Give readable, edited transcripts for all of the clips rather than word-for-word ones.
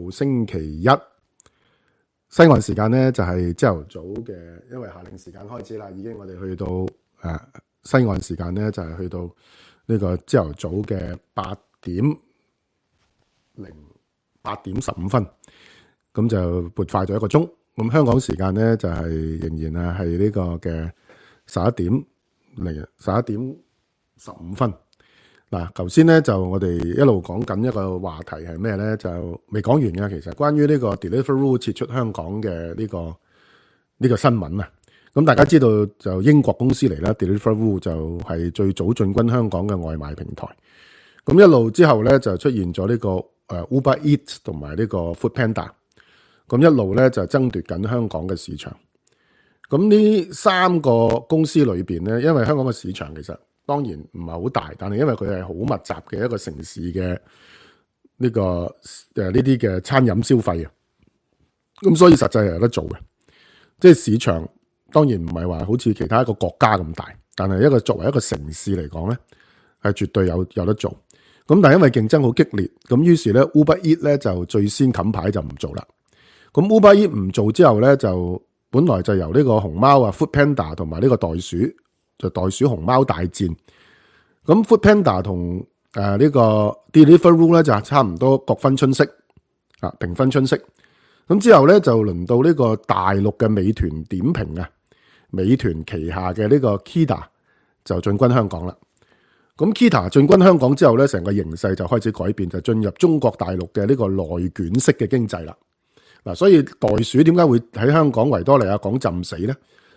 號星期一，西岸時間咧就係朝頭早嘅，因為夏令時間開始啦，已經我哋去到西岸時間咧就係去到呢個朝頭早嘅8點15分，咁就撥快咗1個鐘。咁香港時間咧就係仍然係呢個嘅11點15分。嗱，頭先咧就我哋一路講緊一個話題係咩咧？就未講完嘅，其實關於呢個 Deliveroo 撤出香港嘅呢個新聞啊。咁大家知道就英國公司嚟啦 ，Deliveroo 就係最早進軍香港嘅外賣平台。咁一路之後咧就出現咗呢個Uber Eats 同埋呢個 Foodpanda。咁一路咧就爭奪緊香港嘅市場。咁呢3個公司裏邊咧，因為香港嘅市場其實當然唔係好大，但係因為佢係好密集嘅一個城市嘅呢啲嘅餐飲消費啊，咁所以實際係有得做嘅。即係市場當然唔係話好似其他一個國家咁大，但係作為一個城市嚟講咧，係絕對有得做。咁但係因為競爭好激烈，咁於是咧 Uber Eats 咧就最先冚牌就唔做啦。咁 Uber Eats 唔做之後咧，就本來就由呢個熊貓Foodpanda 同埋呢個袋鼠熊貓大戰。咁 Foodpanda 同呢個 Deliveroo 咧就差唔多各分春色平分春色。咁之後咧就輪到呢個大陸嘅美團點評啊，美團旗下嘅呢個 Kita 就進軍香港啦。咁 Kita 進軍香港之後咧，成個形勢就開始改變，就進入中國大陸嘅呢個內卷式嘅經濟啦。嗱，所以袋鼠點解會喺香港維多利亞港浸死咧？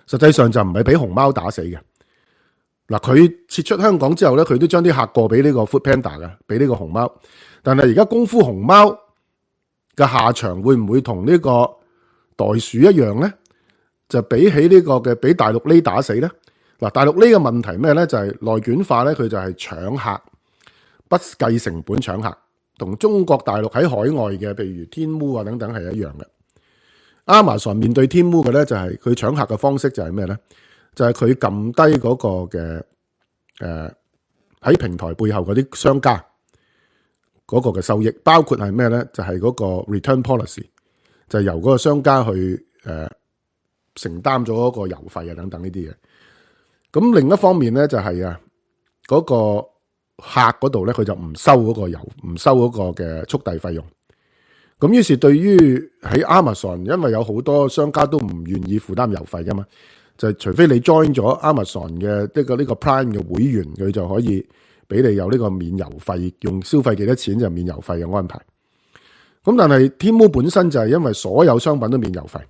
實際上就唔係俾熊貓打死嘅。嗱，佢撤出香港之後咧，佢都將啲客過俾呢個 Foodpanda 嘅，俾呢個熊貓。但係而家功夫熊貓嘅下場會唔會同呢個袋鼠一樣咧？就比起呢個嘅俾大陸呢打死咧？嗱，大陸呢個問題咩咧？就係內卷化咧，佢就係搶客，不計成本搶客。同中國大陸喺海外嘅，譬如天烏等等係一樣嘅。Amazon 面對天烏嘅咧，就係佢搶客嘅方式就係咩咧？就係佢撳低嗰個嘅喺平台背後嗰啲商家嗰個嘅收益，包括係咩咧？就係嗰個 return policy，就係由嗰個商家去承擔咗嗰個郵費等等呢啲嘢。咁另一方面咧，就係嗰個客嗰度咧，佢就唔收嗰個郵，唔收嗰個嘅速遞費用。咁於是對於喺 Amazon， 因為有好多商家都唔願意負擔郵費噶嘛，就除非你 join 咗 Amazon 嘅呢個 Prime 嘅會員，佢就可以俾你有呢個免郵費，用消費幾多錢就免郵費嘅安排。咁但係天貓本身就係因為所有商品都免郵費，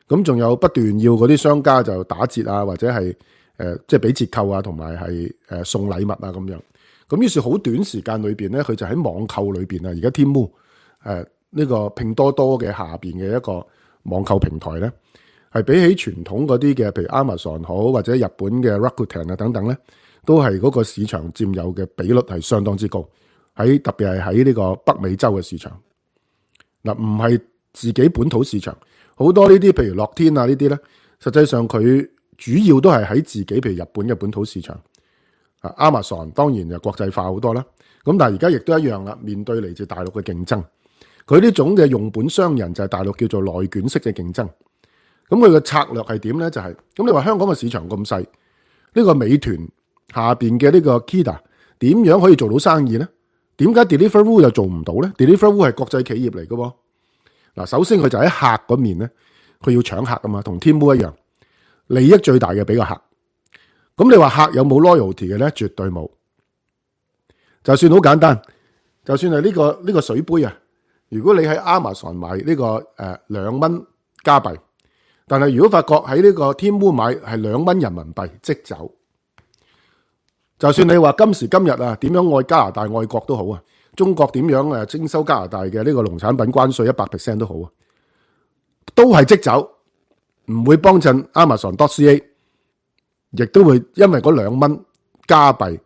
咁仲有不斷要嗰啲商家就打折啊，或者係即係俾折扣啊，同埋係送禮物啊咁樣。咁於是好短時間裏邊咧，佢就喺網購裏邊啊，而家天貓呢個拼多多嘅下邊嘅一個網購平台咧，係比起傳統嗰啲嘅，譬如 Amazon 好或者日本嘅 Rakuten 等等咧，都係嗰個市場佔有嘅比率係相當之高。特別係喺呢個北美洲嘅市場，嗱唔係自己本土市場，好多呢啲譬如樂天呢啲咧，實際上佢主要都係喺自己譬如日本嘅本土市場。Amazon 當然就國際化好多啦，咁但係而家亦都一樣啦，面對嚟自大陸嘅競爭，佢呢種嘅用本商人就係大陸叫做內卷式嘅競爭。咁佢嘅策略係點咧？就係咁你話香港嘅市場咁細，呢個美團下邊嘅呢個 Kita 點樣可以做到生意咧？點解 Deliveroo 又做唔到咧？ Deliveroo 係國際企業嚟嘅喎。嗱，首先佢就喺客嗰面咧，佢要搶客啊嘛，同天貓一樣，利益最大嘅俾個客。咁你話客有冇 loyalty 嘅咧？絕對冇。就算好簡單，就算係呢個水杯啊，如果你喺 Amazon 買呢個2蚊加幣，但係如果發覺喺呢個天貓買係2蚊人民幣即走。就算你話今時今日啊，點樣愛加拿大愛國都好啊，中國點樣徵收加拿大嘅呢個農產品關稅 100% 都好啊，都係即走，唔會幫襯 Amazon.ca。亦都會因為嗰2蚊加幣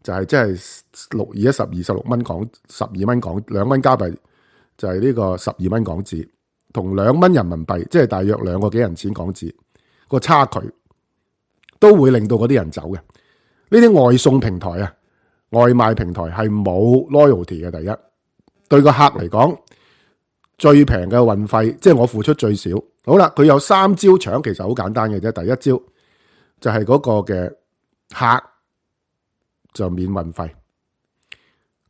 就係即係6211216蚊港12蚊港2蚊加幣就係呢個12蚊港紙，同2蚊人民幣即係大約2個幾銀錢港紙個差距，都會令到嗰啲人走嘅。呢啲外送平台啊，外賣平台係冇 loyalty 嘅。第一，對個客嚟講，最平嘅運費，即係我付出最少。好啦，佢有3招搶，其實好簡單嘅啫。第一招就係嗰個嘅客就免運費，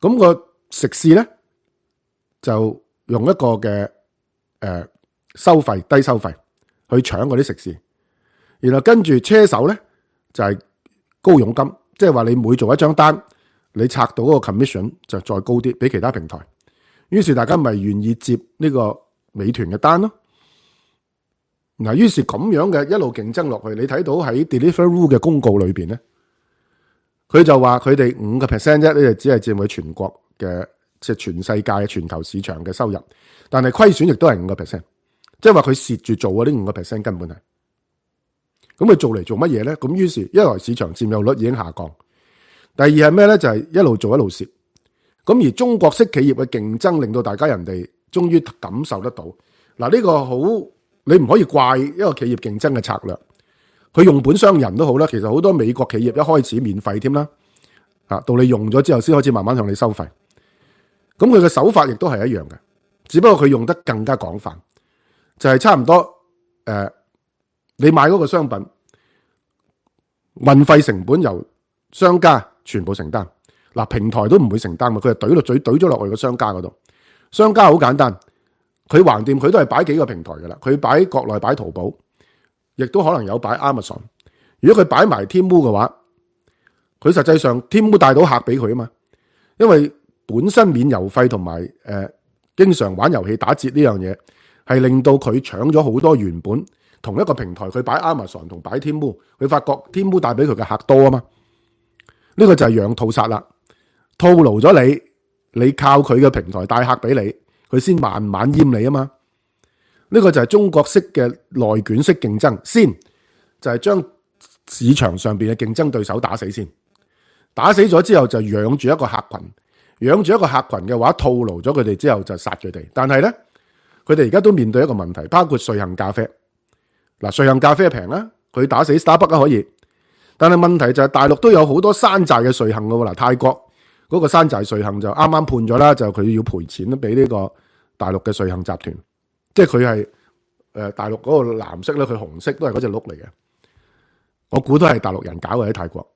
咁個食肆咧就用一個嘅收費低收費去搶嗰啲食肆，然後跟住車手咧就係高佣金，即係話你每做一張單，你拆到嗰個 commission 就再高啲，比其他平台。於是大家咪願意接呢個美團嘅單咯。嗱，於是咁樣嘅一路競爭落去，你睇到喺 Deliveroo 嘅公告裏邊咧，佢就話佢哋5% 啫，呢就只係佔佢全國嘅即係全世界全球市場嘅收入，但係虧損亦都係5%，即係話佢蝕住做嗰啲5%根本係。咁佢做嚟做乜嘢咧？咁於是一來市場佔有率已經下降，第二係咩咧？就係一路做一路蝕。咁而中國式企業嘅競爭令到大家人哋終於感受得到。嗱，呢個好，你唔可以怪一個企業競爭嘅策略。佢用本傷人都好啦，其實好多美國企業一開始免費添啦，到你用咗之後先開始慢慢向你收費。咁佢嘅手法亦都係一樣嘅，只不過佢用得更加廣泛，就係差唔多你買嗰個商品運費成本由商家全部承擔。嗱，平台都唔會承擔嘛，佢係懟落嘴懟咗落去個商家嗰度。商家好簡單，佢橫掂佢都係擺幾個平台噶啦，佢擺國內擺淘寶，亦都可能有擺 Amazon。如果佢擺埋 Temu 嘅話，佢實際上 Temu 帶到客俾佢啊嘛，因為本身免郵費同埋經常玩遊戲打折呢樣嘢，係令到佢搶咗好多原本同一個平台佢擺 Amazon 同擺 Temu， 佢發覺 Temu 帶俾佢嘅客多啊嘛，呢個就係養套殺啦。套路咗你靠佢嘅平台帶客俾你，佢先慢慢閹你啊嘛。呢個就係中國式嘅內卷式競爭，先就係將市場上邊嘅競爭對手打死先，打死咗之後就養住一個客群，養住一個客群嘅話，套路咗佢哋之後就殺佢哋。但係咧，佢哋而家都面對一個問題，包括瑞幸咖啡。嗱，瑞幸咖啡平啦，佢打死 Starbucks 可以，但係問題就係大陸都有好多山寨嘅瑞幸噶喎。嗱，泰國嗰個山寨瑞幸就啱啱判咗啦，就佢要賠錢俾呢個大陸嘅瑞幸集團，即係佢係大陸嗰個藍色咧，佢紅色都係嗰隻鹿嚟嘅。我估都係大陸人搞嘅喺泰國。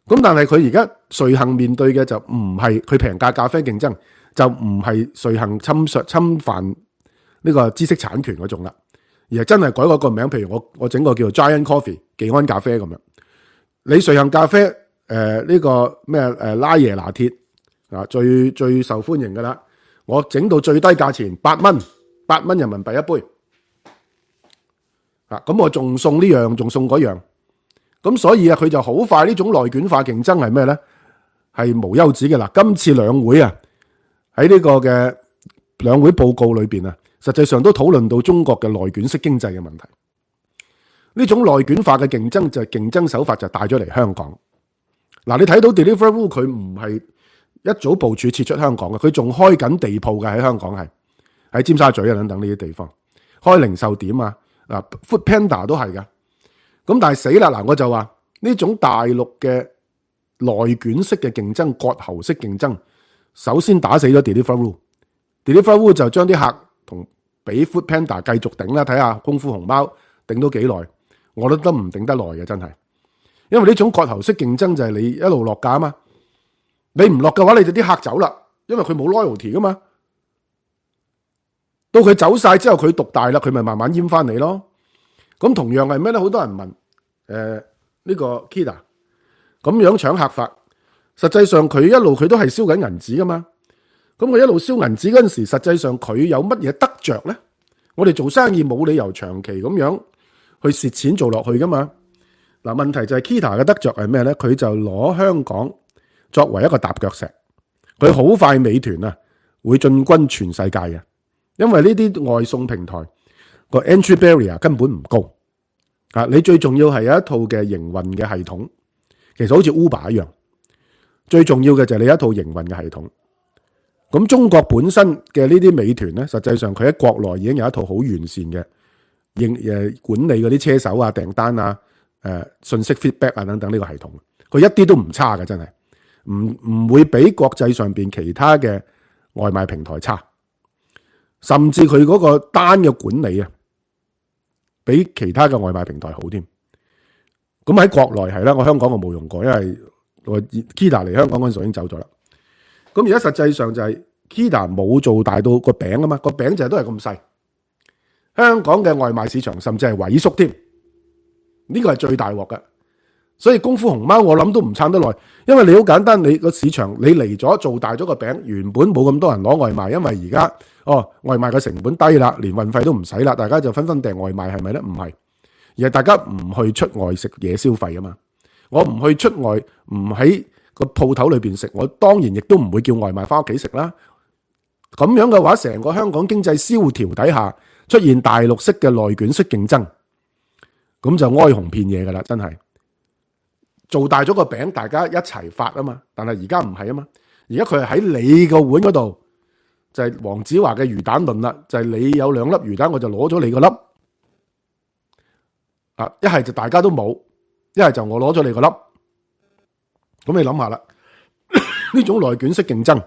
咁但係佢而家瑞幸面對嘅就唔係佢平價咖啡競爭，就唔係瑞幸侵犯呢個知識產權嗰種啦，而係真係改嗰個名，譬如我整個叫做 Giant Coffee 技安咖啡咁樣。你瑞幸咖啡呢個咩拉椰拿鐵啊，最受歡迎噶啦，我整到最低價錢8蚊人民幣一杯啊，咁我仲送呢樣，仲送嗰樣，咁所以啊，佢就好快呢種內卷化競爭係咩咧？係無休止嘅啦。今次兩會啊，喺呢個嘅兩會報告裏邊啊，實際上都討論到中國嘅內卷式經濟嘅問題。呢種內卷化嘅競爭就係競爭手法就帶咗嚟香港。嗱，你睇到 Deliveroo 佢唔係一早部署撤出香港嘅，佢仲開緊地鋪嘅，喺香港係喺尖沙咀啊等等呢啲地方開零售點啊。嗱，Food Panda 都係噶。咁但係死啦！嗱，我就話呢種大陸嘅內卷式嘅競爭、割喉式競爭，首先打死咗 Deliveroo 就將啲客同俾 Food Panda 繼續頂啦，睇下功夫熊貓頂到幾耐，我都唔頂得耐嘅真係。因為呢種割喉式競爭就係你一路落價啊嘛，你唔落嘅話，你就啲客走啦，因為佢冇 loyalty 噶嘛。到佢走晒之後，佢獨大啦，佢咪慢慢閹翻你咯。咁同樣係咩咧？好多人問呢個 Kita 咁樣搶客法，實際上佢一路佢都係燒緊銀紙噶嘛。咁佢一路燒銀紙嗰陣時，實際上佢有乜嘢得着咧？我哋做生意冇理由長期咁樣去蝕錢做落去噶嘛。嗱，問題就係 Kita 嘅得着係咩咧？佢就攞香港作為一個踏腳石，佢好快美團啊會進軍全世界嘅，因為呢啲外送平台個 entry barrier 根本唔高啊！你最重要係有一套嘅營運嘅系統，其實好似 Uber 一樣。最重要嘅就係你有一套營運嘅系統。咁中國本身嘅呢啲美團咧，實際上佢喺國內已經有一套好完善嘅管理嗰啲車手啊、訂單啊、信息 feedback 啊等等呢個系統，佢一啲都唔差嘅，真係唔會比國際上邊其他嘅外賣平台差。甚至佢嗰個單嘅管理啊，比其他嘅外賣平台好添。咁喺國內係啦，我香港我冇用過，因為我 Kita 嚟香港嗰陣時已經走咗啦。咁而家實際上就係 Kita 冇做大到個餅啊嘛，個餅就係都係咁細。香港嘅外賣市場甚至係萎縮添，呢個係最大鑊嘅。所以功夫熊貓我諗都唔撐得耐，因為你好簡單，你個市場你嚟咗做大咗個餅，原本冇咁多人攞外賣，因為而家外賣嘅成本低啦，連運費都唔使啦，大家就紛紛訂外賣，係咪呢？唔係，而係大家唔去出外食嘢消費啊嘛。我唔去出外，唔喺個鋪頭裏邊食，我當然亦都唔會叫外賣翻屋企食啦。咁樣嘅話，成個香港經濟蕭條底下出現大陸式嘅內卷式競爭，咁就哀鴻遍野噶啦，真係。做大咗個餅，大家一齊發啊嘛，但係而家唔係啊嘛，而家佢係喺你個碗嗰度，就係黃子華嘅魚蛋論啦，就係你有2粒魚蛋，我就攞咗你個粒，一係就大家都冇，一係就我攞咗你個粒，咁你諗下啦，呢種內卷式競爭，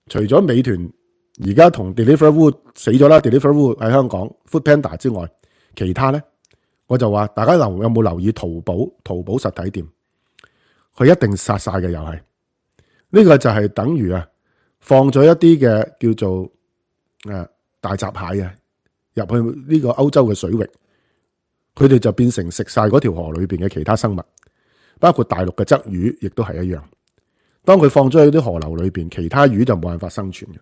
除咗美團而家同 Deliveroo 死咗啦 ，Deliveroo 喺香港 Foodpanda 之外，其他呢？我就話大家有冇留意淘寶實體店，佢一定殺晒嘅，又係呢個就係等於放咗一啲嘅叫做大閘蟹入去呢個歐洲嘅水域，佢哋就變成食晒嗰條河裏邊嘅其他生物，包括大陸嘅鯽魚亦都係一樣。當佢放咗喺啲河流裏邊，其他魚就冇辦法生存嘅。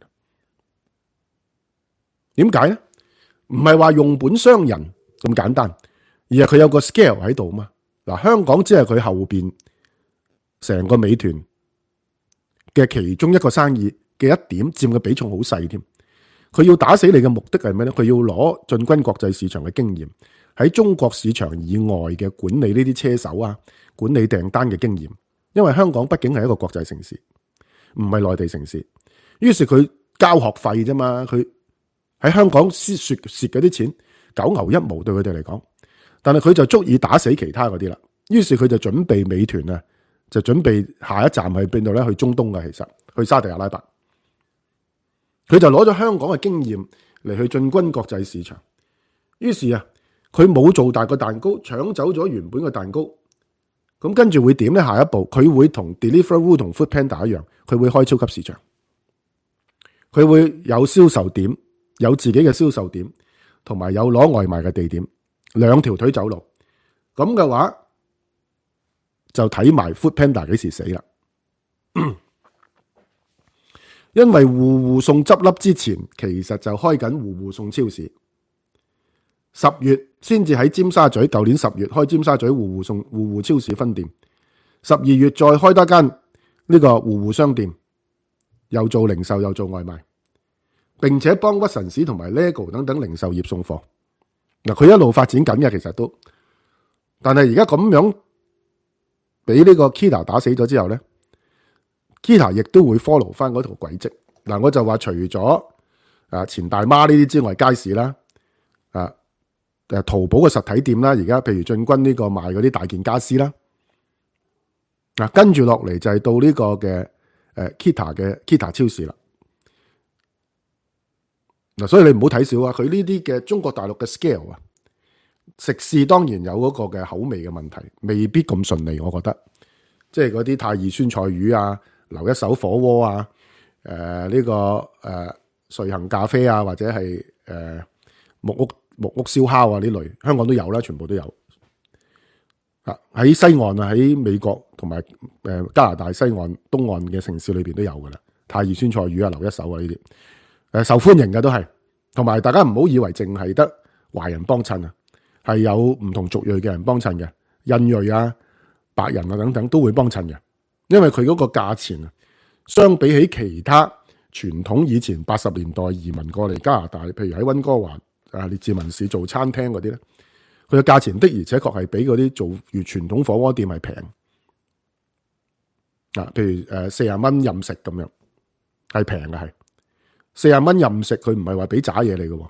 點解呢？唔係話用本傷人咁簡單。而係佢有個 scale 喺度嘛。嗱，香港只係佢後邊成個美團嘅其中一個生意嘅一點，佔嘅比重好細添。佢要打死你嘅目的係咩咧？佢要攞進軍國際市場嘅經驗，喺中國市場以外嘅管理呢啲車手管理訂單嘅經驗。因為香港畢竟係一個國際城市，唔係內地城市。於是佢交學費啫嘛，佢喺香港蝕嗰啲錢九牛一毛對佢哋嚟講。但係佢就足以打死其他嗰啲啦，於是佢就準備美團就準備下一站係邊度咧？去中東嘅，其實去沙特阿拉伯，佢就攞咗香港嘅經驗嚟去進軍國際市場。於是佢冇做大個蛋糕，搶走咗原本嘅蛋糕。咁跟住會點咧？下一步佢會同 Deliveroo 同 Foodpanda 一樣，佢會開超級市場，佢會有銷售點，有自己嘅銷售點，同埋有攞外賣嘅地點。兩條腿走路，咁嘅話就睇埋 Foodpanda 幾時死啦。因為戶戶送執笠之前，其實就開緊戶戶送超市。10月先至喺尖沙咀，舊年10月開尖沙咀戶戶超市分店。12月再開多間呢個戶戶商店，又做零售又做外賣，並且幫屈臣氏同埋 LEGO 等等零售業送貨。嗱，佢一路發展緊嘅，其實都，但係而家咁樣俾呢個 Kita 打死咗之後咧 ，Kita 亦都會 follow 翻嗰條軌跡。嗱，我就話除咗錢大媽呢啲之外，街市啦，淘寶嘅實體店啦，而家譬如進軍呢個賣嗰啲大件家私啦，跟住落嚟就係到呢個嘅Kita 嘅 Kita 超市啦。嗱，所以你唔好睇少佢呢啲嘅中國大陸嘅 scale 食肆當然有嗰個嘅口味嘅問題，未必咁順利。我覺得，即係嗰啲太二酸菜魚留一手火鍋呢個瑞幸咖啡或者係木屋燒烤呢類，香港都有啦，全部都有。喺西岸喺美國同埋加拿大西岸東岸嘅城市裏邊都有噶啦，太二酸菜魚留一手呢啲。受歡迎嘅都係，同埋大家唔好以為淨係得華人幫襯係有唔同族裔嘅人幫襯嘅，印裔白人等等都會幫襯嘅，因為佢嗰個價錢相比起其他傳統以前80年代移民過嚟加拿大，譬如喺溫哥華列治文市做餐廳嗰啲咧，佢嘅價錢的而且確係比嗰啲做如傳統火鍋店係平譬如40蚊任食咁樣係平嘅係。40蚊任食，佢唔係話俾渣嘢你嘅，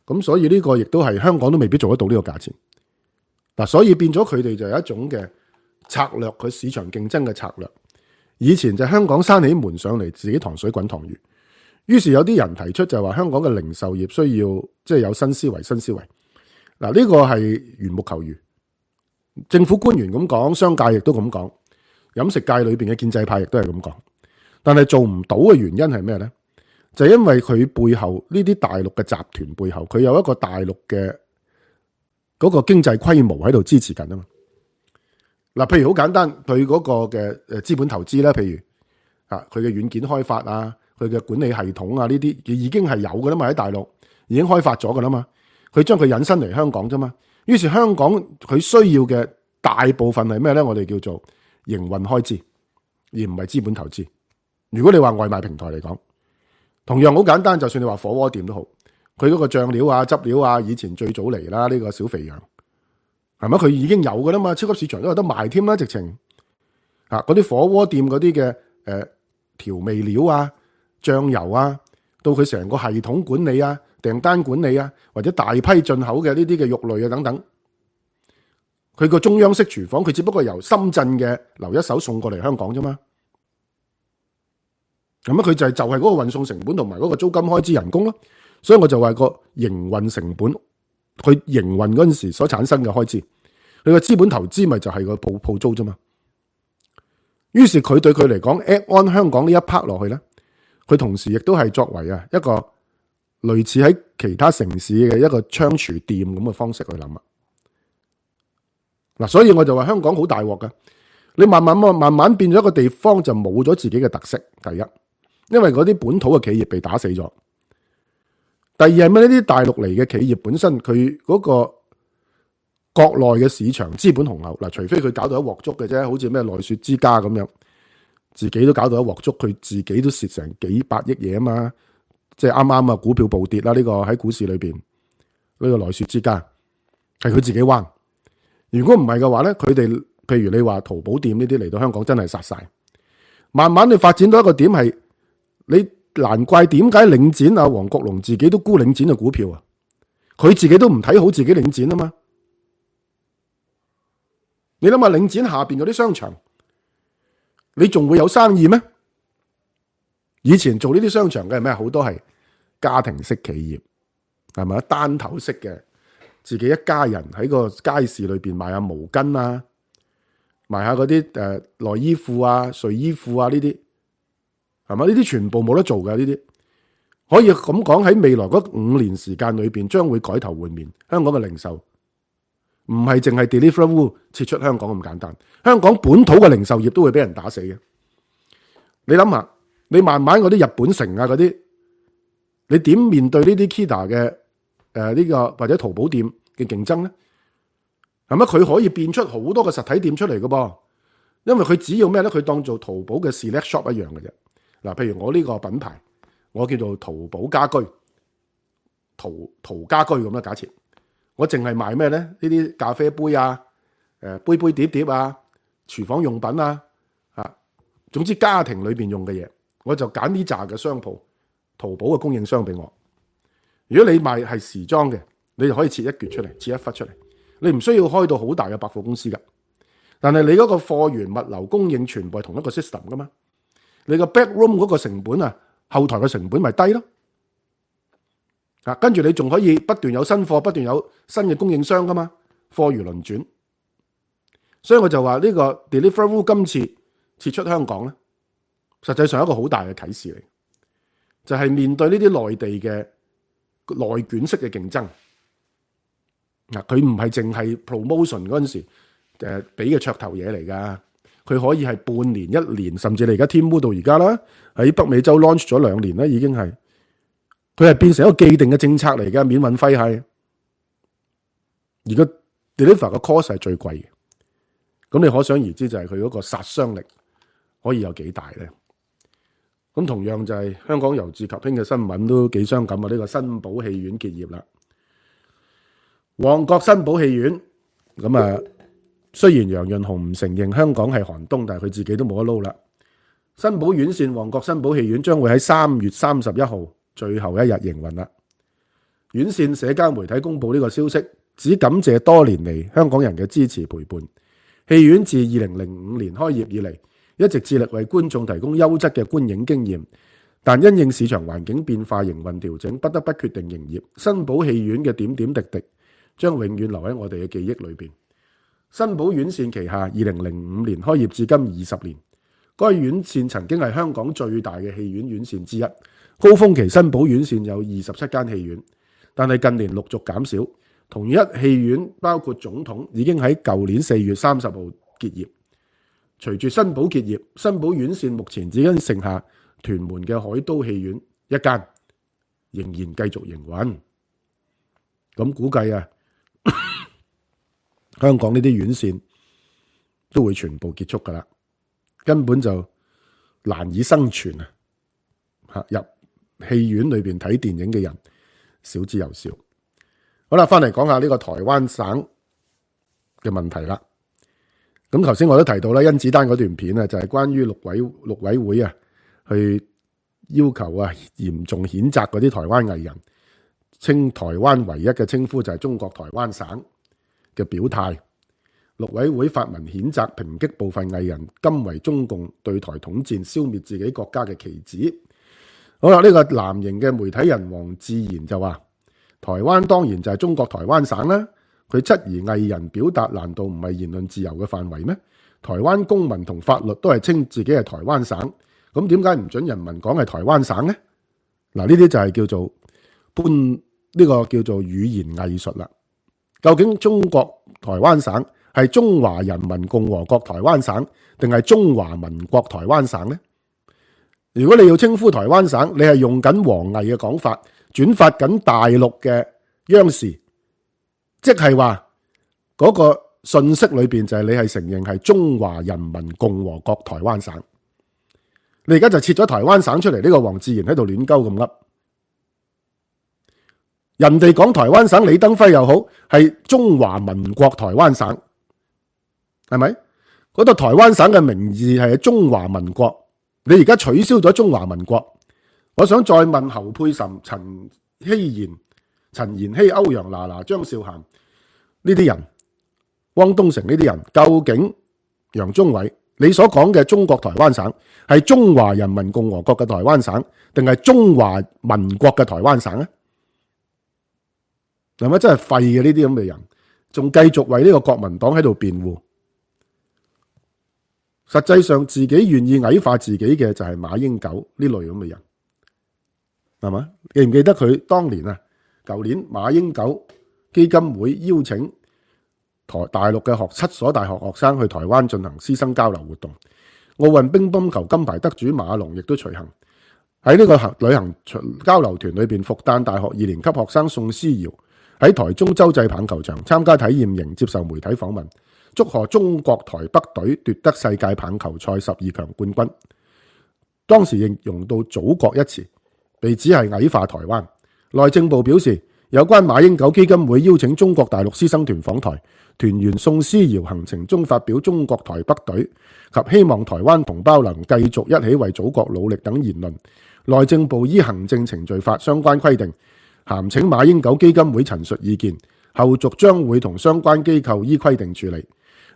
咁所以呢個亦都係香港都未必做得到呢個價錢。所以變咗佢哋就有一種嘅策略，佢市場競爭嘅策略。以前就香港閂起門上嚟，自己糖水滾糖魚。於是有啲人提出就係話香港嘅零售業需要即係有新思維。嗱，呢個係緣木求魚，政府官員咁講，商界亦都咁講，飲食界裏邊嘅建制派亦都係咁講，但係做唔到嘅原因係咩呢？就係因為佢背後呢啲大陸嘅集團背後，佢有一個大陸嘅嗰個經濟規模喺度支持緊啊嘛。嗱，譬如好簡單，佢嗰個嘅資本投資啦，譬如佢嘅軟件開發啊，佢嘅管理系統啊，呢啲已經係有噶啦嘛，喺大陸已經開發咗噶啦嘛。佢將佢引申嚟香港啫嘛，於是香港佢需要嘅大部分係咩咧？我哋叫做營運開支，而唔係資本投資。如果你話外賣平台嚟講，同樣好簡單，就算你話火鍋店都好，佢嗰個醬料啊、汁料啊，以前最早嚟啦，呢個小肥羊係咪？佢已經有噶啦嘛，超級市場都有得賣添啦，直情嗰啲火鍋店嗰啲嘅調味料啊、醬油啊，到佢成個系統管理啊、訂單管理啊，或者大批進口嘅呢啲嘅肉類啊等等，佢個中央式廚房，佢只不過由深圳嘅留一手送過嚟香港啫嘛。咁佢就係嗰個運送成本同埋嗰個租金開支人工咯。所以我就話個營運成本，佢營運嗰陣時所產生嘅開支，佢個資本投資咪就係個鋪租啫嘛。於是佢對佢嚟講 add on 香港呢一 part 落去咧，佢同時亦都係作為一個類似喺其他城市嘅一個倉儲店咁嘅方式去諗嗱，所以我就話香港好大鑊噶，你慢慢變咗一個地方就冇咗自己嘅特色。第一，因為嗰啲本土嘅企業被打死咗；第二係咩？呢啲大陸嚟嘅企業本身佢嗰個國內嘅市場資本雄厚嗱，除非佢搞到一鑊粥嘅啫，好似咩奈雪之家咁樣，自己都搞到一鑊粥，佢自己都蝕成幾百億嘢啊嘛！即係啱啱啊，股票暴跌啦，呢個喺股市裏邊呢個奈雪之家係佢自己彎。如果唔係嘅話咧，佢哋譬如你話淘寶店呢啲嚟到香港真係殺晒，慢慢你發展到一個點係，你難怪點解領展啊黃國龍自己都沽領展嘅股票啊，佢自己都唔睇好自己領展啊嘛。你諗下領展下邊嗰啲商場，你仲會有生意咩？以前做呢啲商場嘅係咩？好多係家庭式企業，係咪單頭式嘅？自己一家人喺個街市裏邊賣下毛巾啊，賣下嗰啲內衣褲啊、睡衣褲啊呢啲，係咪？呢啲全部冇得做嘅，呢啲可以咁講，喺未來嗰5年時間裏邊，將會改頭換面。香港嘅零售唔係淨係 Deliveroo 撤出香港咁簡單，香港本土嘅零售業都會俾人打死嘅。你諗下，你慢慢嗰啲日本城啊嗰啲，你點面對呢啲 Kita 嘅呢個或者淘寶店嘅競爭咧？係咪？佢可以變出好多個實體店出嚟嘅噃，因為佢只要咩咧？佢當做淘寶嘅 Select Shop 一樣嘅啫。嗱，譬如我呢個品牌，我叫做淘寶家居，淘家居咁啦。假設我淨係賣咩咧？呢啲咖啡杯啊、杯杯碟碟啊、廚房用品啊，總之家庭裏邊用嘅嘢，我就揀呢扎嘅商鋪，淘寶嘅供應商俾我。如果你賣係時裝嘅，你就可以切一橛出嚟，切一忽出嚟，你唔需要開到好大嘅百貨公司噶。但係你嗰個貨源物流供應全部係同一個 system 噶嘛？你個 back room 嗰個成本啊，後台嘅成本咪低咯？跟住你仲可以不斷有新貨，不斷有新嘅供應商噶嘛？貨如輪轉，所以我就話呢個 Deliveroo 今次撤出香港咧，實際上係一個好大嘅啟示嚟，就係面對呢啲內地嘅內卷式嘅競爭。佢唔係淨係 promotion 嗰陣時俾嘅噱頭嘢嚟噶，佢可以係半年、1年，甚至你而家Temu到而家啦，喺北美洲 launch 咗2年啦，已經係佢係變成一個既定嘅政策嚟噶，免運費係，而個 deliver 嘅 cost 係最貴嘅，咁你可想而知就係佢嗰個殺傷力可以有幾大咧？咁同樣就係香港由治及興嘅新聞都幾傷感啊！呢個新寶戲院結業啦，旺角新寶戲院咁啊，雖然楊潤雄唔承認香港係寒冬，但係佢自己都冇得撈啦。新寶院線旺角新寶戲院將會喺3月31號最後一日營運啦。院線社交媒體公布呢個消息，只感謝多年嚟香港人嘅支持陪伴。戲院自2005年開業以嚟，一直致力為觀眾提供優質嘅觀影經驗，但因應市場環境變化、營運調整，不得不決定營業。新寶戲院嘅點點滴滴將永遠留喺我哋嘅記憶裏邊。新寶院線旗下2005年開業至今20年，該院線曾經係香港最大嘅戲院院線之一。高峰期新寶院線有27間戲院，但係近年陸續減少。同一戲院包括總統已經喺舊年4月30號結業。隨住新寶結業，新寶院線目前只因剩下屯門嘅海都戲院一間，仍然繼續營運。咁估計啊，香港呢啲院線都會全部結束噶啦，根本就難以生存啊！入戲院裏邊睇電影嘅人少之又少。好啦，翻嚟講下呢個台灣省嘅問題啦。咁頭先我都提到啦，甄子丹嗰段片啊，就係關於陸委會啊，去要求啊嚴重譴責嗰啲台灣藝人，稱台灣唯一嘅稱呼就係中國台灣省嘅表態。陸委會發文譴責抨擊部分藝人，甘為中共對台統戰，消滅自己國家嘅旗幟。好啦，呢個藍營嘅媒體人黃志賢就話：台灣當然就係中國台灣省啦。佢質疑藝人表達難道唔係言論自由嘅範圍咩？台灣公民同法律都係稱自己係台灣省，咁點解唔准人民講係台灣省呢？嗱，呢啲就係叫做搬呢個叫做語言藝術啦。究竟中國台灣省係中華人民共和國台灣省定係中華民國台灣省呢？如果你要稱呼台灣省，你係用緊王毅嘅講法，轉發緊大陸嘅央視。即係話嗰個信息裏邊就係你係承認係中華人民共和國台灣省，你而家就切咗台灣省出嚟，呢個黃志賢喺度亂鳩咁噏。人哋講台灣省，李登輝又好，係中華民國台灣省，係咪？嗰度台灣省嘅名字係中華民國，你而家取消咗中華民國。我想再問侯佩岑、陳希賢、陳妍希、歐陽娜娜、張韶涵呢啲人，汪東城呢啲人，究竟楊宗緯你所講嘅中國台灣省係中華人民共和國嘅台灣省，定係中華民國嘅台灣省咧？係咪真係廢嘅呢啲咁嘅人，仲繼續為呢個國民黨喺度辯護？實際上自己願意矮化自己嘅就係馬英九呢類咁嘅人，係嘛？記唔記得佢當年啊？舊年馬英九基金會邀請大陸嘅7所大學學生去台灣進行師生交流活動，奧運乒乓球金牌得主馬龍亦都隨行。喺呢個旅行交流團裏邊，復旦大學2年級學生宋思堯喺台中洲際棒球場參加體驗營，接受媒體訪問，祝賀中國台北隊奪得世界棒球賽12強冠軍。當時形容到祖國一詞，被指係矮化台灣。內政部表示，有關馬英九基金會邀請中國大陸師生團訪台，團員宋思堯行程中發表中國台北隊及希望台灣同胞能繼續一起為祖國努力等言論。內政部依行政程序法相關規定，函請馬英九基金會陳述意見，後續將會同相關機構依規定處理。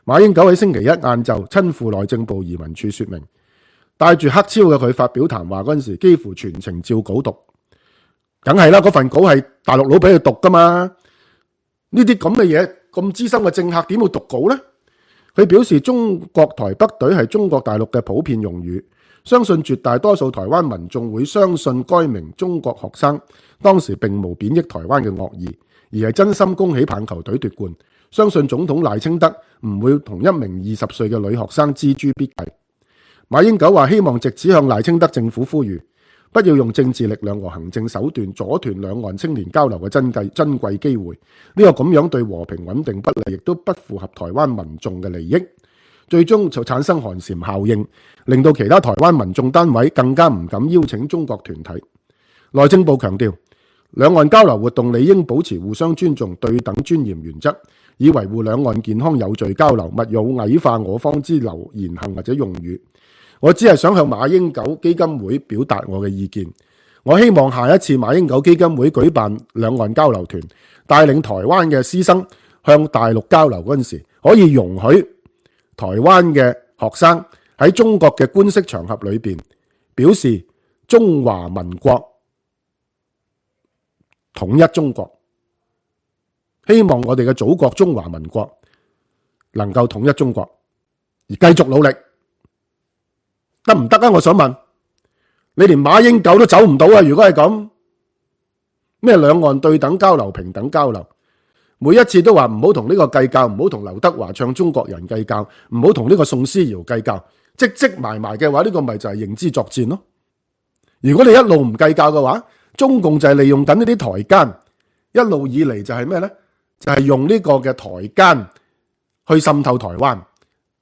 馬英九喺星期一晏晝親赴內政部移民處說明，帶住黑超嘅佢發表談話嗰陣時，幾乎全程照稿讀。梗係啦，嗰份稿係大陸佬俾佢讀噶嘛？呢啲咁嘅嘢，咁資深嘅政客點會讀稿呢？佢表示，中國台北隊係中國大陸嘅普遍用語，相信絕大多數台灣民眾會相信該名中國學生當時並無貶抑台灣嘅惡意，而係真心恭喜棒球隊奪冠。相信總統賴清德唔會同一名20歲嘅女學生錙銖必較。馬英九話希望藉此向賴清德政府呼籲，不要用政治力量和行政手段阻斷兩岸青年交流嘅珍貴機會，呢個咁樣對和平穩定不利，亦都不符合台灣民眾嘅利益，最終就產生寒蟬效應，令到其他台灣民眾單位更加唔敢邀請中國團體。內政部強調，兩岸交流活動理應保持互相尊重、對等尊嚴原則，以維護兩岸健康有序交流，勿有矮化我方之言行或者用語。我只係想向馬英九基金會表達我嘅意見。我希望下一次馬英九基金會舉辦兩岸交流團，帶領台灣嘅師生向大陸交流嗰陣時，可以容許台灣嘅學生喺中國嘅官式場合裏邊表示中華民國統一中國，希望我哋嘅祖國中華民國能夠統一中國，而繼續努力，得唔得啊？我想問你，連馬英九都走唔到啊！如果係咁，咩兩岸對等交流、平等交流，每一次都話唔好同呢個計較，唔好同劉德華唱中國人計較，唔好同呢個宋思堯計較，積埋嘅話，呢個咪就係認知作戰咯。如果你一路唔計較嘅話，中共就係利用緊呢啲台階，一路以嚟就係咩呢？就係用呢個嘅台階去滲透台灣。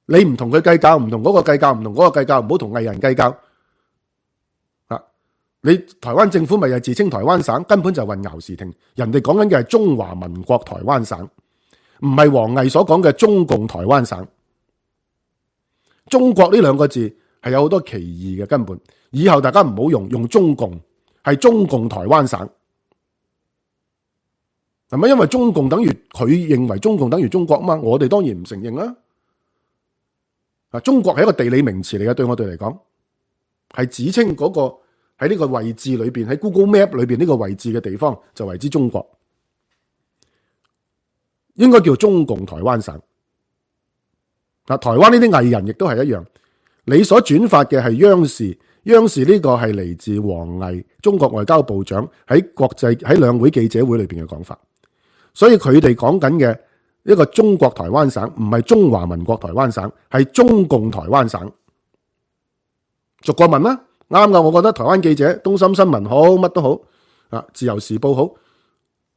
你唔同佢計較，唔同嗰個計較，唔同嗰個計較，唔好同藝人計較。你台灣政府咪係自稱台灣省，根本就混淆視聽。人哋講緊嘅係中華民國台灣省，唔係王毅所講嘅中共台灣省。中國呢兩個字係有好多歧義嘅，根本以後大家唔好用中共，係中共台灣省。係咪因為中共等於佢認為中共等於中國啊嘛？我哋當然唔承認啦。中國係一個地理名詞嚟嘅，對我哋嚟講係指稱嗰個喺呢個位置裏邊，喺 Google Map 裏邊呢個位置嘅地方就為之中國，應該叫中共台灣省。台灣呢啲藝人亦都係一樣，你所轉發嘅係央視，央視呢個係嚟自王毅中國外交部長喺國際喺兩會記者會裏邊嘅講法，所以佢哋講緊嘅一個中國台灣省唔係中華民國台灣省，係中共台灣省。逐個問啦。啱噶，我覺得台灣記者東森新聞好，乜都好啊，自由時報好，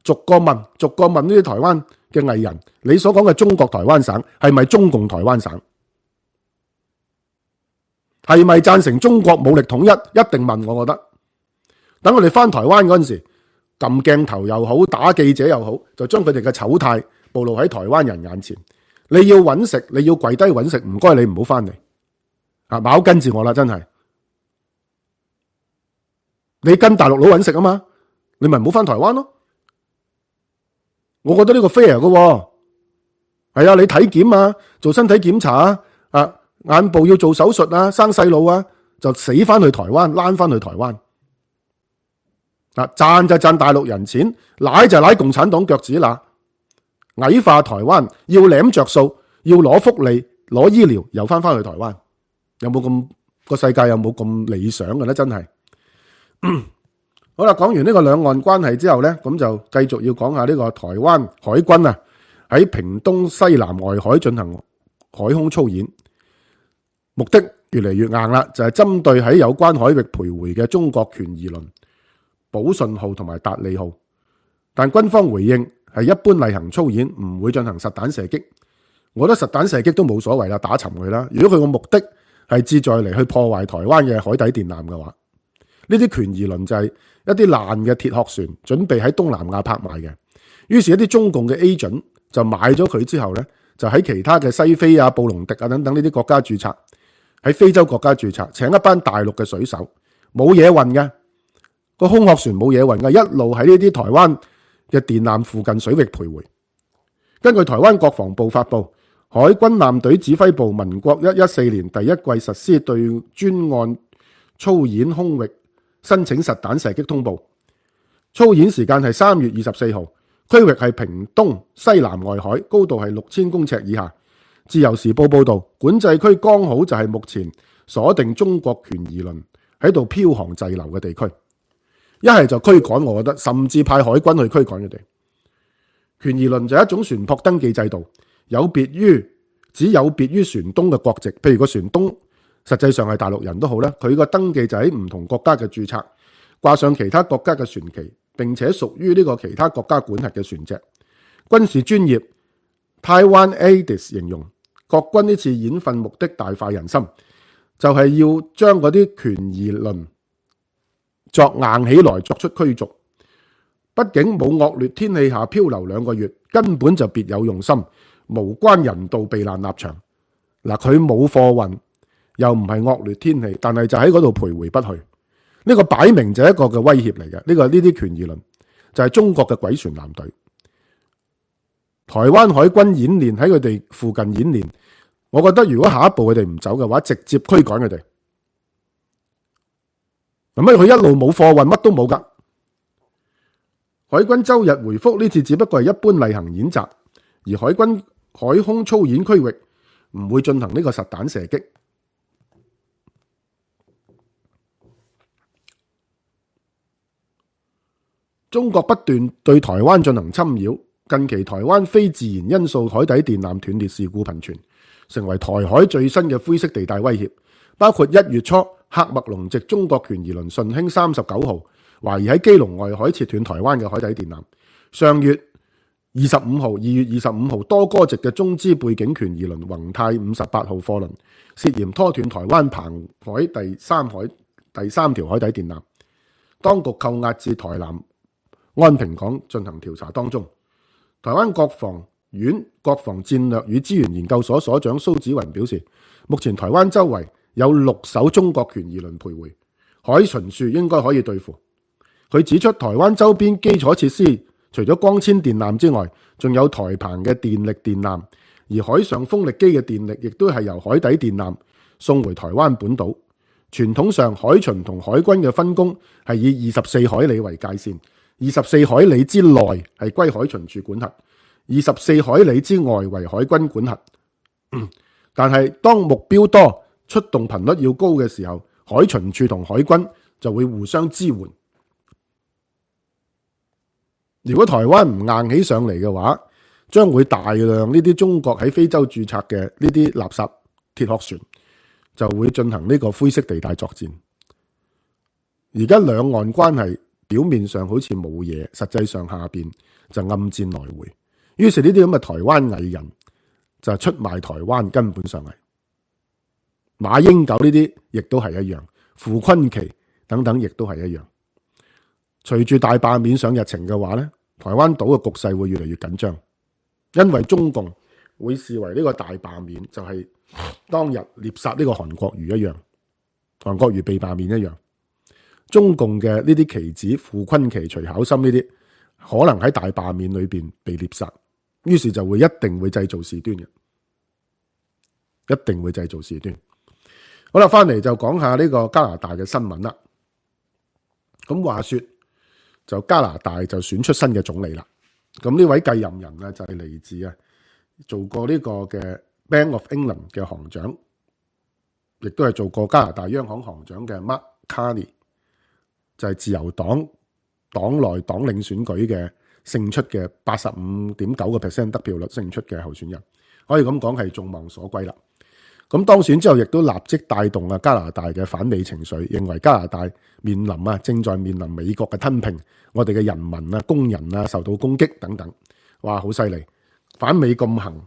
逐個問呢啲台灣嘅藝人，你所講嘅中國台灣省係咪中共台灣省？係咪贊成中國武力統一？一定問，我覺得。等我哋翻台灣嗰陣時，撳鏡頭又好，打記者又好，就將佢哋嘅醜態暴露喺台灣人眼前。你要揾食，你要跪低揾食，唔該你唔好翻嚟啊！冇跟住我啦，真係。你跟大陸佬揾食啊嘛，你咪唔好翻台灣咯。我覺得呢個 fair 嘅，係啊，你體檢啊，做身體檢查啊，眼部要做手術啊，生細路啊，就死翻去台灣，躝翻去台灣。賺就賺大陸人錢，舐就舐共產黨腳趾罅，矮化台灣，要舐着數，要攞福利，攞醫療，又翻去台灣。有冇咁個世界有冇咁理想嘅咧？真係。好啦，講完呢個兩岸關係之後呢，咁就繼續要講下呢個台灣海軍啊喺屏東西南外海進行海空操演，目的越嚟越硬啦，就係針對喺有關海域徘徊嘅中國權宜輪、寶順號同埋達利號，但軍方回應係一般例行操演，唔會進行實彈射擊。我覺得實彈射擊都冇所謂啦，打沉佢啦。如果佢個目的係志在嚟去破壞台灣嘅海底電纜嘅話，呢啲權宜輪就係一啲爛嘅鐵殼船，準備喺東南亞拍賣嘅。於是，一啲中共嘅 agent 就買咗佢之後呢，就喺其他嘅西非啊、布隆迪啊等等呢啲國家註冊，喺非洲國家註冊，請一班大陸嘅水手，冇嘢運嘅，個空殼船冇嘢運嘅，一路喺呢啲台灣嘅電纜附近水域徘徊。根據台灣國防部發布，海軍艦隊指揮部民國114年第一季實施對專案操演空域申請實彈射擊通報，操演時間係3月24號，區域係屏東西南外海，高度係6000公尺以下。自由時報報道，管制區剛好就係目前鎖定中國權宜輪喺度漂航滯留嘅地區，一係就驅趕，我覺得甚至派海軍去驅趕佢哋。權宜輪就係一種船舶登記制度，只有別於船東嘅國籍，譬如個船東實際上係大陸人都好啦，佢個登記就喺唔同國家嘅註冊，掛上其他國家嘅船旗，並且屬於呢個其他國家管轄嘅船隻。軍事專業 Taiwan ADIS 形容國軍呢次演訓目的大快人心，就係要將嗰啲權宜輪作硬起來，作出驅逐。畢竟冇惡劣天氣下漂流2個月，根本就別有用心，無關人道避難立場。嗱，佢冇貨運，又唔係惡劣天氣，但係就喺嗰度徘徊不去。呢個擺明就係一個嘅威脅嚟嘅。呢啲權宜輪就係中國嘅鬼船艦隊。台灣海軍演練喺佢哋附近演練，我覺得如果下一步佢哋唔走嘅話，直接驅趕佢哋。乜佢一路冇貨運，乜都冇噶。海軍周日回覆呢次只不過係一般例行演習，而海軍海空操演區域唔會進行呢個實彈射擊。中國不斷對台灣進行侵擾，近期台灣非自然因素海底電纜斷裂事故頻傳，成為台海最新嘅灰色地帶威脅。包括1月初喀麥隆籍中國權宜輪順興39號懷疑喺基隆外海切斷台灣嘅海底電纜。上月25號、2月25號，多哥籍嘅中資背景權宜輪宏泰58號貨輪涉嫌拖斷台灣澎海第三條海底電纜，當局扣押至台南安平港進行調查當中。台灣國防院國防戰略與資源研究所所長蘇子雲表示，目前台灣周圍有6艘中國權宜輪徘徊，海巡署應該可以對付。佢指出，台灣周邊基礎設施除咗光纖電纜之外，仲有台澎嘅電力電纜，而海上風力機嘅電力亦都係由海底電纜送回台灣本島。傳統上，海巡同海軍嘅分工係以24海里為界線，24海里之內係歸海巡署管轄，24海里之外為海軍管轄。但係當目標多、出動頻率要高嘅時候，海巡署同海軍就會互相支援。如果台灣唔硬起上嚟嘅話，將會大量呢啲中國喺非洲註冊嘅呢啲垃圾鐵殼船就會進行呢個灰色地帶作戰。而家兩岸關係表面上好似冇嘢，實際上下邊就暗戰來回。於是呢啲咁嘅台灣藝人就出賣台灣，根本上係馬英九呢啲亦都係一樣，傅崑萁等等亦都係一樣。隨住大罷免上日程嘅話呢，台灣島嘅局勢會越嚟越緊張，因為中共會視為呢個大罷免就係當日獵殺呢個韓國瑜一樣，韓國瑜被罷免一樣。中共嘅呢啲棋子傅崑萁、徐巧芯呢啲可能喺大罷免裏邊被獵殺，於是就會一定會製造事端嘅，一定會製造事端。好啦，翻嚟就講下呢個加拿大嘅新聞啦。咁話說就加拿大就選出新嘅總理啦。咁呢位繼任人啊就係嚟自做過呢個嘅 Bank of England 嘅行長，亦都係做過加拿大央行行長嘅 Mark Carney， 就係自由黨黨內黨領選舉嘅勝出嘅 85.9% 得票率勝出嘅候選人，可以咁講係眾望所歸啦。咁當選之後，亦都立即帶動加拿大嘅反美情緒，認為加拿大正在面臨美國嘅吞併，我哋嘅人民工人受到攻擊等等，哇，好犀利，反美咁行。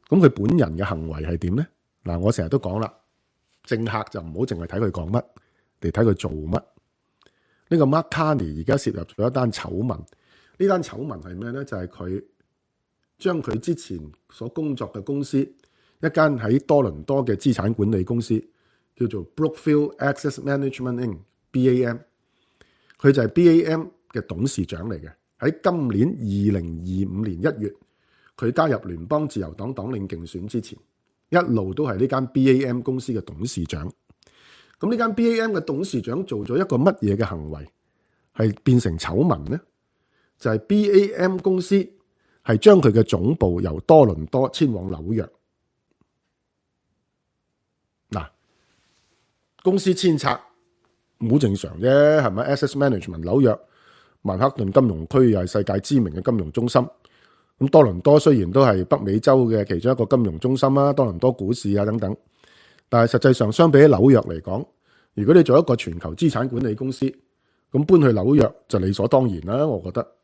咁佢本人嘅行為係點呢？嗱，我成日都講啦，政客就唔好淨係睇佢講乜，嚟睇佢做乜。呢個 Mark Carney 而家涉入咗一單醜聞，呢單醜聞係咩呢？就係佢將佢之前所工作嘅公司，一間喺多倫多嘅資產管理公司叫做 Brookfield Asset Management Inc.BAM， 佢就係 BAM 嘅董事長嚟嘅。喺今年2025年1月，佢加入聯邦自由黨黨領競選之前，一路都係呢間 BAM 公司嘅董事長。咁呢間 BAM 嘅董事長做咗一個乜嘢嘅行為係變成醜聞呢？就係 BAM 公司係將佢嘅總部由多倫多遷往紐約。嗱，公司遷冊好正常啫，係咪 ？Asset Management 紐約曼克頓金融區又係世界知名嘅金融中心。咁多倫多雖然都係北美洲嘅其中一個金融中心啦，多倫多股市等等，但係實際上相比起紐約嚟講，如果你做一個全球資產管理公司，咁搬去紐約就理所當然啦，我覺得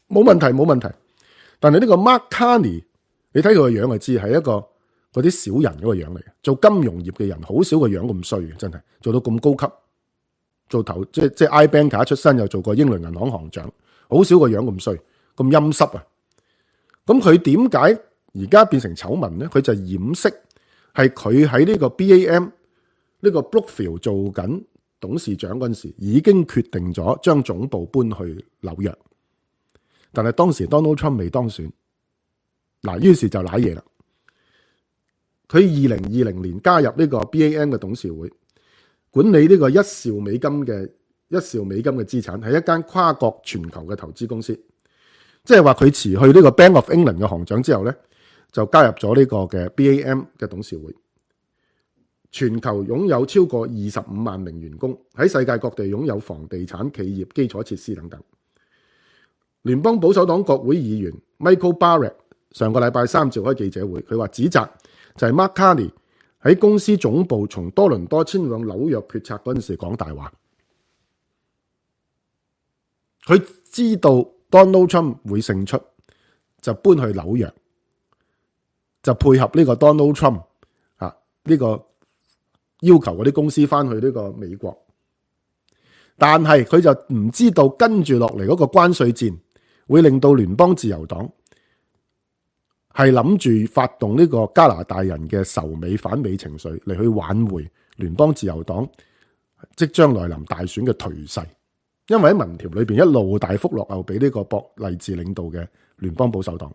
冇問題冇問題。但係呢個 Mark Carney， 你睇佢個樣就知係一個嗰啲小人嗰個樣嚟嘅，做金融業嘅人好少個樣咁衰嘅，真係做到咁高級，做頭即係 I-Banker 出身，又做過英倫銀行行長，好少個樣咁衰咁陰濕啊！咁佢點解而家變成醜聞呢？佢就掩飾係佢喺呢個 BAM 呢個 Brookfield 做緊董事長嗰陣時，已經決定咗將總部搬去紐約。但係當時 Donald Trump 未當選，嗱，於是就瀨嘢啦。佢2020年加入呢個 BAM 嘅董事會，管理呢個1兆美金嘅資產，係一間跨國全球嘅投資公司。即係話佢辭去呢個 Bank of England 嘅行長之後呢，就加入咗呢個嘅 BAM 嘅董事會。全球擁有超過25萬名員工，喺世界各地擁有房地產、企業、基礎設施等等。聯邦保守黨國會議員 Michael Barrett 上個禮拜3召開記者會，佢話指責就係 Mark Carney 喺公司總部從多倫多遷往紐約決策嗰陣時講大話。佢知道 Donald Trump 會勝出，就搬去紐約，就配合呢個 Donald Trump 呢個要求嗰啲公司翻去呢個美國。但係佢就唔知道跟住落嚟嗰個關稅戰會令到聯邦自由黨係諗住發動呢個加拿大人嘅仇美反美情緒嚟去挽回聯邦自由黨即將來臨大選嘅頹勢。因為喺民調裏邊一路大幅落後俾呢個博勵治領導嘅聯邦保守黨，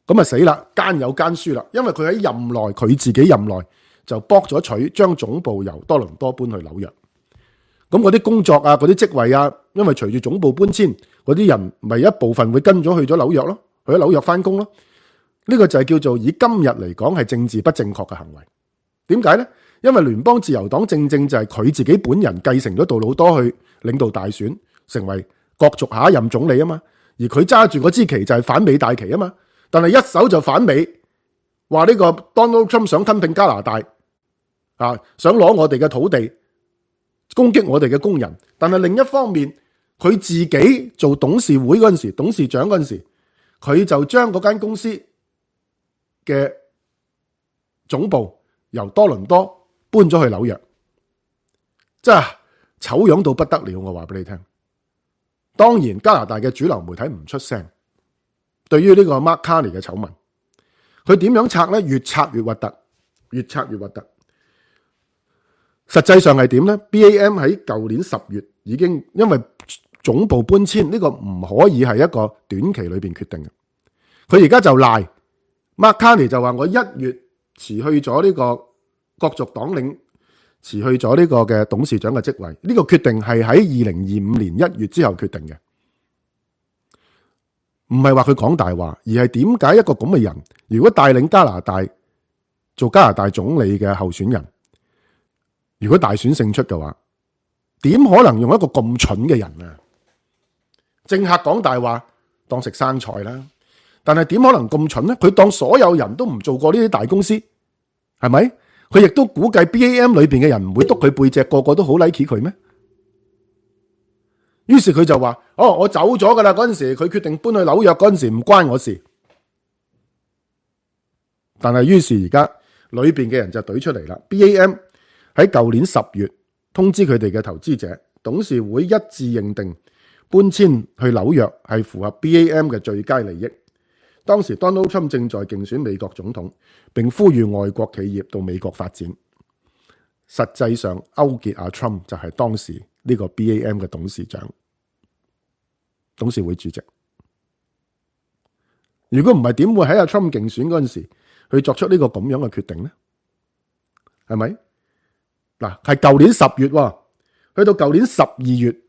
咁啊死啦，奸有奸輸啦。因為佢喺任內，佢自己任內就博咗取將總部由多倫多搬去紐約。咁嗰啲工作啊，嗰啲職位啊，因為隨住總部搬遷，嗰啲人咪一部分會跟咗去咗紐約咯，去咗紐約翻工咯。呢個就係叫做以今日嚟講係政治不正確嘅行為。點解呢？因為聯邦自由黨正正就係佢自己本人繼承咗杜魯多去領導大選，成為角逐下一任總理啊嘛。而佢揸住嗰支旗就係反美大旗啊嘛。但係一手就反美，話呢個 Donald Trump 想吞併加拿大想攞我哋嘅土地，攻擊我哋嘅工人。但係另一方面，佢自己做董事會嗰陣時，董事長嗰陣時，佢就將嗰間公司嘅總部由多倫多搬咗去紐約，真係醜樣到不得了。我話俾你聽，當然加拿大嘅主流媒體唔出聲，對於呢個 Mark Carney 嘅醜聞，佢點樣拆呢？越拆越核突，越拆越核突。實際上係點呢？ BAM 喺舊年10月已經因為總部搬遷，呢個唔可以係一個短期裏邊決定嘅。佢而家就賴 Mark Carney 就話我1月辭去咗呢個角逐黨領，辭去咗呢個嘅董事長嘅職位。呢個決定係喺2025年1月之後決定嘅，唔係話佢講大話，而係點解一個咁嘅人，如果帶領加拿大做加拿大總理嘅候選人，如果大選勝出嘅話，點可能用一個咁蠢嘅人啊？政客講大話當食生菜啦，但係點可能咁蠢呢？佢當所有人都唔做過呢啲大公司，係咪？佢亦都估計 BAM 裏邊嘅人唔會督佢背脊，個個都好 like 佢咩？於是佢就話：我走咗噶啦。嗰陣時佢決定搬去紐約嗰陣時唔關我事。但係於是而家裏邊嘅人就懟出嚟啦。BAM 喺舊年10月通知佢哋嘅投資者，董事會一致認定搬遷去紐約係符合 BAM 嘅最佳利益。當時 Donald Trump 正在競選美國總統，並呼籲外國企業到美國發展。實際上勾結阿 Trump 就係當時呢個 BAM 嘅董事長、董事會主席。如果唔係，點會喺阿 Trump 競選嗰陣時去作出呢個咁樣嘅決定呢？係咪？嗱，係舊年10月，去到舊年12月，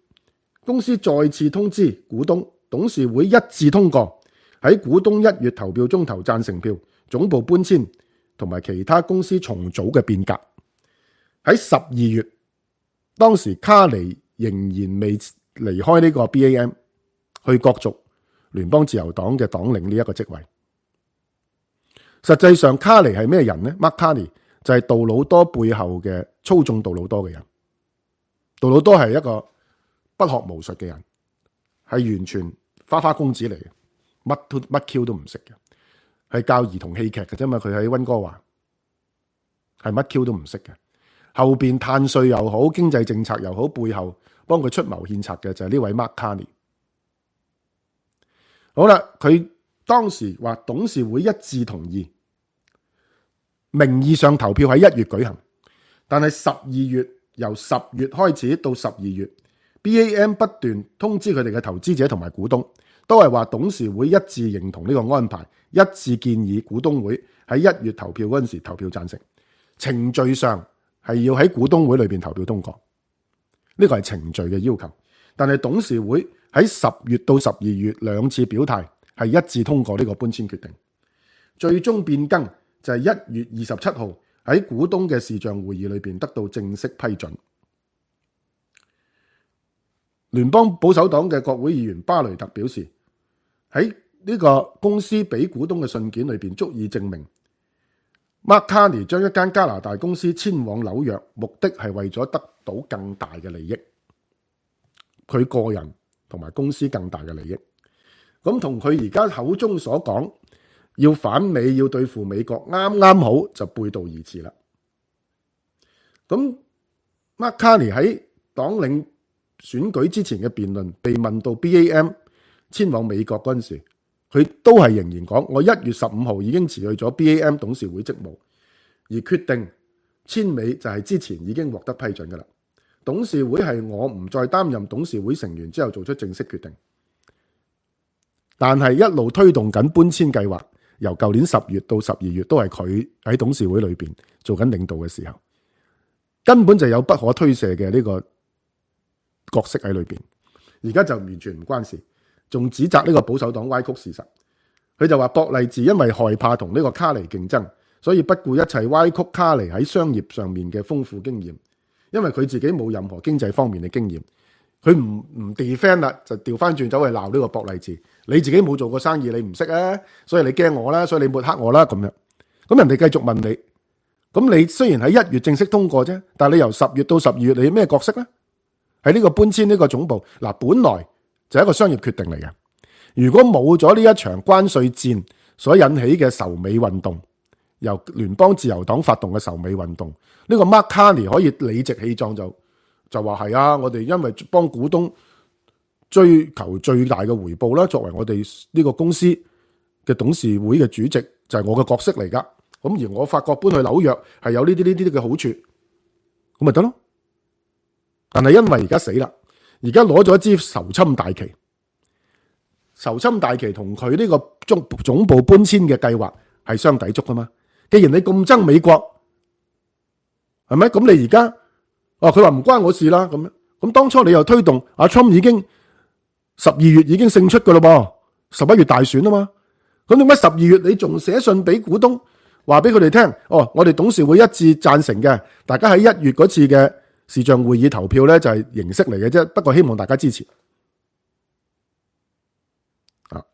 公司再次通知股東，董事會一致通過喺股東1月投票中投贊成票，總部搬遷同埋其他公司重組嘅變革。喺12月，當時卡尼仍然未離開呢個 BAM 去角逐聯邦自由黨嘅黨領呢一個職位。實際上卡尼係咩人呢？ Mark Carney 就係杜魯多背後嘅操縱杜魯多嘅人。杜魯多係一個不學無術嘅人，係完全花花公子嚟嘅，乜 Q 都唔識嘅，係教兒童戲劇嘅啫嘛。佢喺溫哥華係乜 Q 都唔識嘅。後邊碳稅又好，經濟政策又好，背後幫佢出謀獻策嘅就係呢位 Mark Carney。好啦，佢當時話董事會一致同意，名義上投票喺1月舉行，但係12月由10月開始到12月 BAM 不斷通知佢哋嘅投資者同埋股東，都係話董事會一致認同呢個安排，一致建議股東會喺1月投票嗰陣時投票贊成。程序上係要喺股東會裏邊投票通過，呢個係程序嘅要求。但係董事會喺10月到12月兩次表態係一致通過呢個搬遷決定，最終變更就係1月27號喺股東嘅視像會議裏邊得到正式批准。聯邦保守黨嘅國會議員巴雷特表示，喺呢個公司俾股東嘅信件裏邊足以證明，Mark Carney 將一間加拿大公司遷往紐約，目的係為咗得到更大嘅利益，佢個人同埋公司更大嘅利益。咁同佢而家口中所講要反美、要對付美國，啱啱好就背道而馳啦。咁 Mark Carney 喺黨領選舉之前嘅辯論被問到 BAM 遷往美國嗰陣時，佢都係仍然講，我1月15號已經辭去咗 BAM 董事會職務，而決定遷美就係之前已經獲得批准㗎啦。董事會係我唔再擔任董事會成員之後做出正式決定，但係一路推動緊搬遷計劃，由舊年10月到12月都係佢喺董事會裏邊做緊領導嘅時候，根本就有不可推卸嘅呢個角色喺裏邊。而家就完全唔關事，仲指責呢個保守黨歪曲事實。佢就話博勵治因為害怕同呢個卡尼競爭，所以不顧一切歪曲卡尼喺商業上面嘅豐富經驗，因為佢自己冇任何經濟方面嘅經驗，佢唔 defend 啦，就調翻轉走去鬧呢個博勵治。你自己冇做過生意，你唔識啊，所以你驚我啦，所以你抹黑我啦咁樣。咁人哋繼續問你，咁你雖然喺1月正式通過啫，但係你由10月到12月，你咩角色呢？喺呢個搬遷呢個總部嗱，本來就係一個商業決定嚟嘅。如果冇咗呢一場關稅戰所引起嘅仇美運動，由聯邦自由黨發動嘅仇美運動，呢個 Mark Carney 可以理直氣壯就話係啊，我哋因為幫股東追求最大嘅回報啦，作為我哋呢個公司嘅董事會嘅主席就係我嘅角色嚟噶。咁而我發覺搬去紐約係有呢啲嘅好處，咁咪得咯。但係因為而家死啦，而家攞咗一支仇侵大旗，仇侵大旗同佢呢個總部搬遷嘅計劃係相抵觸噶嘛。既然你咁憎美國，係咪？咁你而家佢話唔關我事啦，咁樣。咁當初你又推動阿 Trump 已經12月已經勝出噶啦噃，11月大選啊嘛。咁點解12月你仲寫信俾股東，話俾佢哋聽？我哋董事會一致贊成嘅，大家喺1月嗰次嘅視像會議投票咧就係形式嚟嘅啫，不過希望大家支持。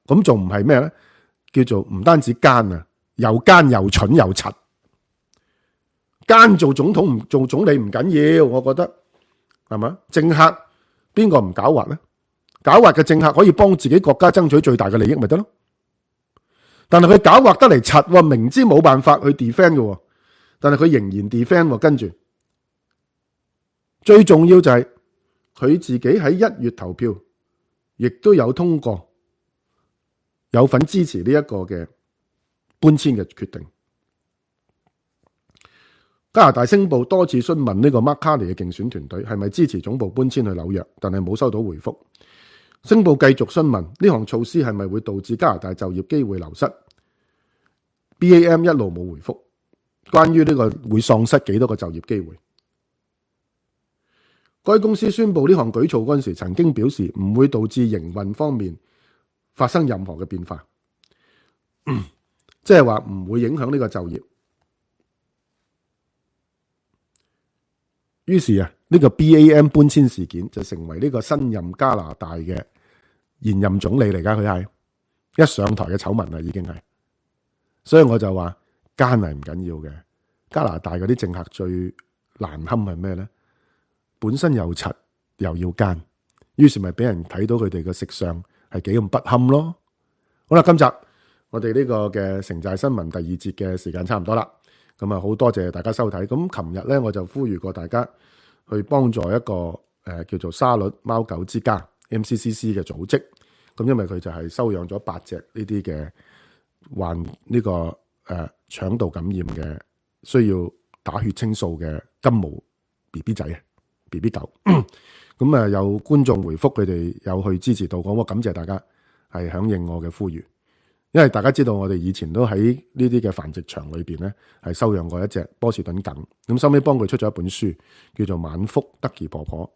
咁仲唔係咩咧？叫做唔單止奸啊，又奸又蠢又柒。奸做總統唔做總理唔緊要，我覺得係嘛？政客邊個唔狡猾咧？狡猾嘅政客可以幫自己國家爭取最大嘅利益，咪得咯？但係佢狡猾得嚟柒，明知冇辦法去 defend 嘅，但係佢仍然 defend。跟住最重要就係佢自己喺1月投票，亦都有通過，有份支持呢一個嘅搬遷嘅決定。加拿大星報多次詢問呢個 Mark Carney 嘅競選團隊係咪支持總部搬遷去紐約，但係冇收到回覆。星報繼續詢問呢項措施係咪會導致加拿大就業機會流失。BAM 一路冇回覆，關於呢個會喪失幾多個就業機會。該公司宣布呢項舉措嗰陣時，曾經表示唔會導致營運方面發生任何嘅變化，即係話唔會影響呢個就業。於是呢個 BAM 搬遷事件就成為呢個新任加拿大嘅現任總理嚟噶，佢係一上台嘅醜聞啦，已經係。所以我就話奸係唔緊要嘅，加拿大嗰啲政客最難堪係咩咧？本身又柒又要奸，於是咪俾人睇到佢哋嘅食相係幾咁不堪咯。好啦，今集我哋呢個嘅城寨新聞第2節嘅時間差唔多啦。咁啊，好多謝大家收睇。咁琴日咧，我就呼籲過大家去幫助一個叫做沙律貓狗之家 MCCC 嘅組織。咁因為佢就係收養咗8隻呢啲嘅患呢個腸道感染嘅，需要打血清素嘅金毛 BB 仔 BB 狗。咁啊，有觀眾回覆佢哋有去支持到，講我感謝大家係響應我嘅呼籲。因為大家知道我哋以前都喺呢啲嘅繁殖場裏邊咧，係收養過一隻波士頓梗，咁收尾幫佢出咗一本書，叫做《晚福德兒婆婆》。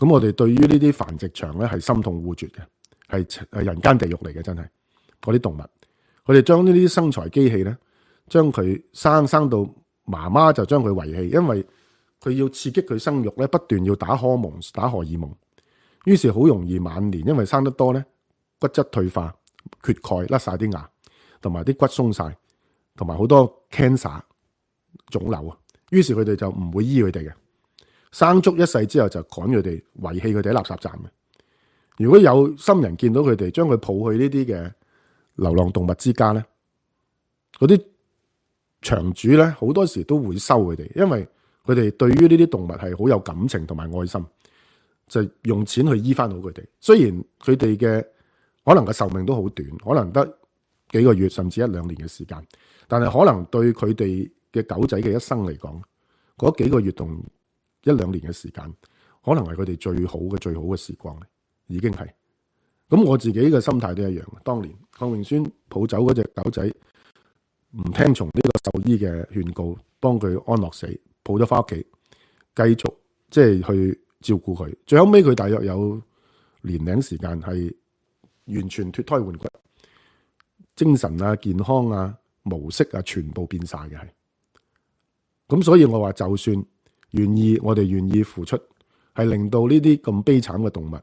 咁我哋對於呢啲繁殖場咧係心痛惡絕嘅，係人間地獄嚟嘅，真係嗰啲動物。佢哋將呢啲生財機器咧，將佢生到媽媽就將佢遺棄，因為佢要刺激佢生育咧，不斷要打荷爾蒙，於是好容易晚年，因為生得多咧，骨質退化、缺鈣、甩晒啲牙，同埋啲骨鬆晒，同埋好多 cancer 腫瘤啊。於是佢哋就唔會醫佢哋嘅，生足一世之後就趕佢哋，遺棄佢哋喺垃圾站嘅。如果有心人見到佢哋，將佢抱去呢啲嘅流浪動物之家咧，嗰啲場主咧好多時都會收佢哋，因為佢哋對於呢啲動物係好有感情同埋愛心，就用錢去醫翻好佢哋。雖然佢哋嘅可能嘅壽命都好短，可能得幾個月甚至1-2年嘅時間，但係可能對佢哋嘅狗仔嘅一生嚟講，嗰幾個月同1-2年嘅時間，可能係佢哋最好嘅時光，已經係。咁我自己嘅心態都一樣。當年鄺榮孫抱走嗰隻狗仔，唔聽從呢個獸醫嘅勸告，幫佢安樂死，抱咗翻屋企，繼續即係去照顧佢。最後尾佢大約有年零時間係完全脫胎換骨，精神啊、健康啊、模式啊，全部變晒嘅係。咁所以我話，就算我哋願意付出，係令到呢啲咁悲慘嘅動物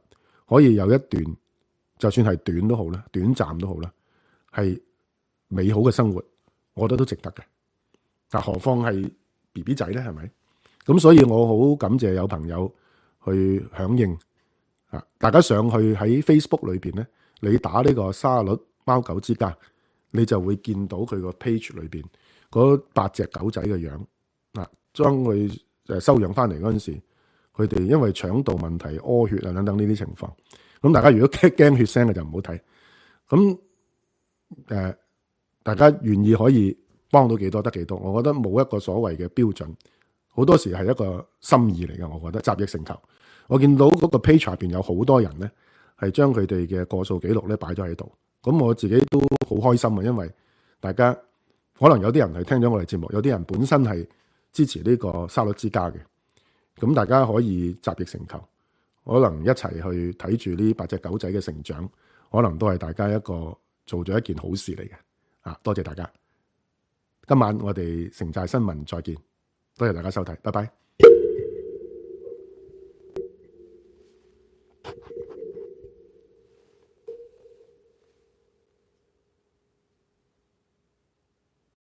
可以有一段，就算係短都好啦，短暫都好啦，係美好嘅生活，我覺得都值得嘅。但何況係 BB 仔咧，係咪？咁所以我好感謝有朋友去響應啊！大家上去喺 Facebook 裏邊咧，你打呢個沙律貓狗之家，你就會見到佢個 page 裏邊嗰8隻狗仔嘅樣啊，將佢收養翻嚟嗰陣時，佢哋因為腸道問題、屙血啊等等呢啲情況。咁大家如果驚血腥嘅就唔好睇。咁大家願意可以幫到幾多得幾多，我覺得冇一個所謂嘅標準，好多時係一個心意嚟嘅。我覺得集腋成裘。我見到嗰個 page 入邊有好多人咧，係將佢哋嘅過數記錄咧擺咗喺度。咁我自己都好開心啊，因為大家可能有啲人係聽咗我哋節目，有啲人本身係支持呢個沙律之家嘅。咁大家可以集腋成裘，可能一齊去睇住呢8隻狗仔嘅成長，可能都係大家一個做咗一件好事嚟嘅。多謝大家。今晚我哋城寨新聞再見，多謝大家收睇，拜拜。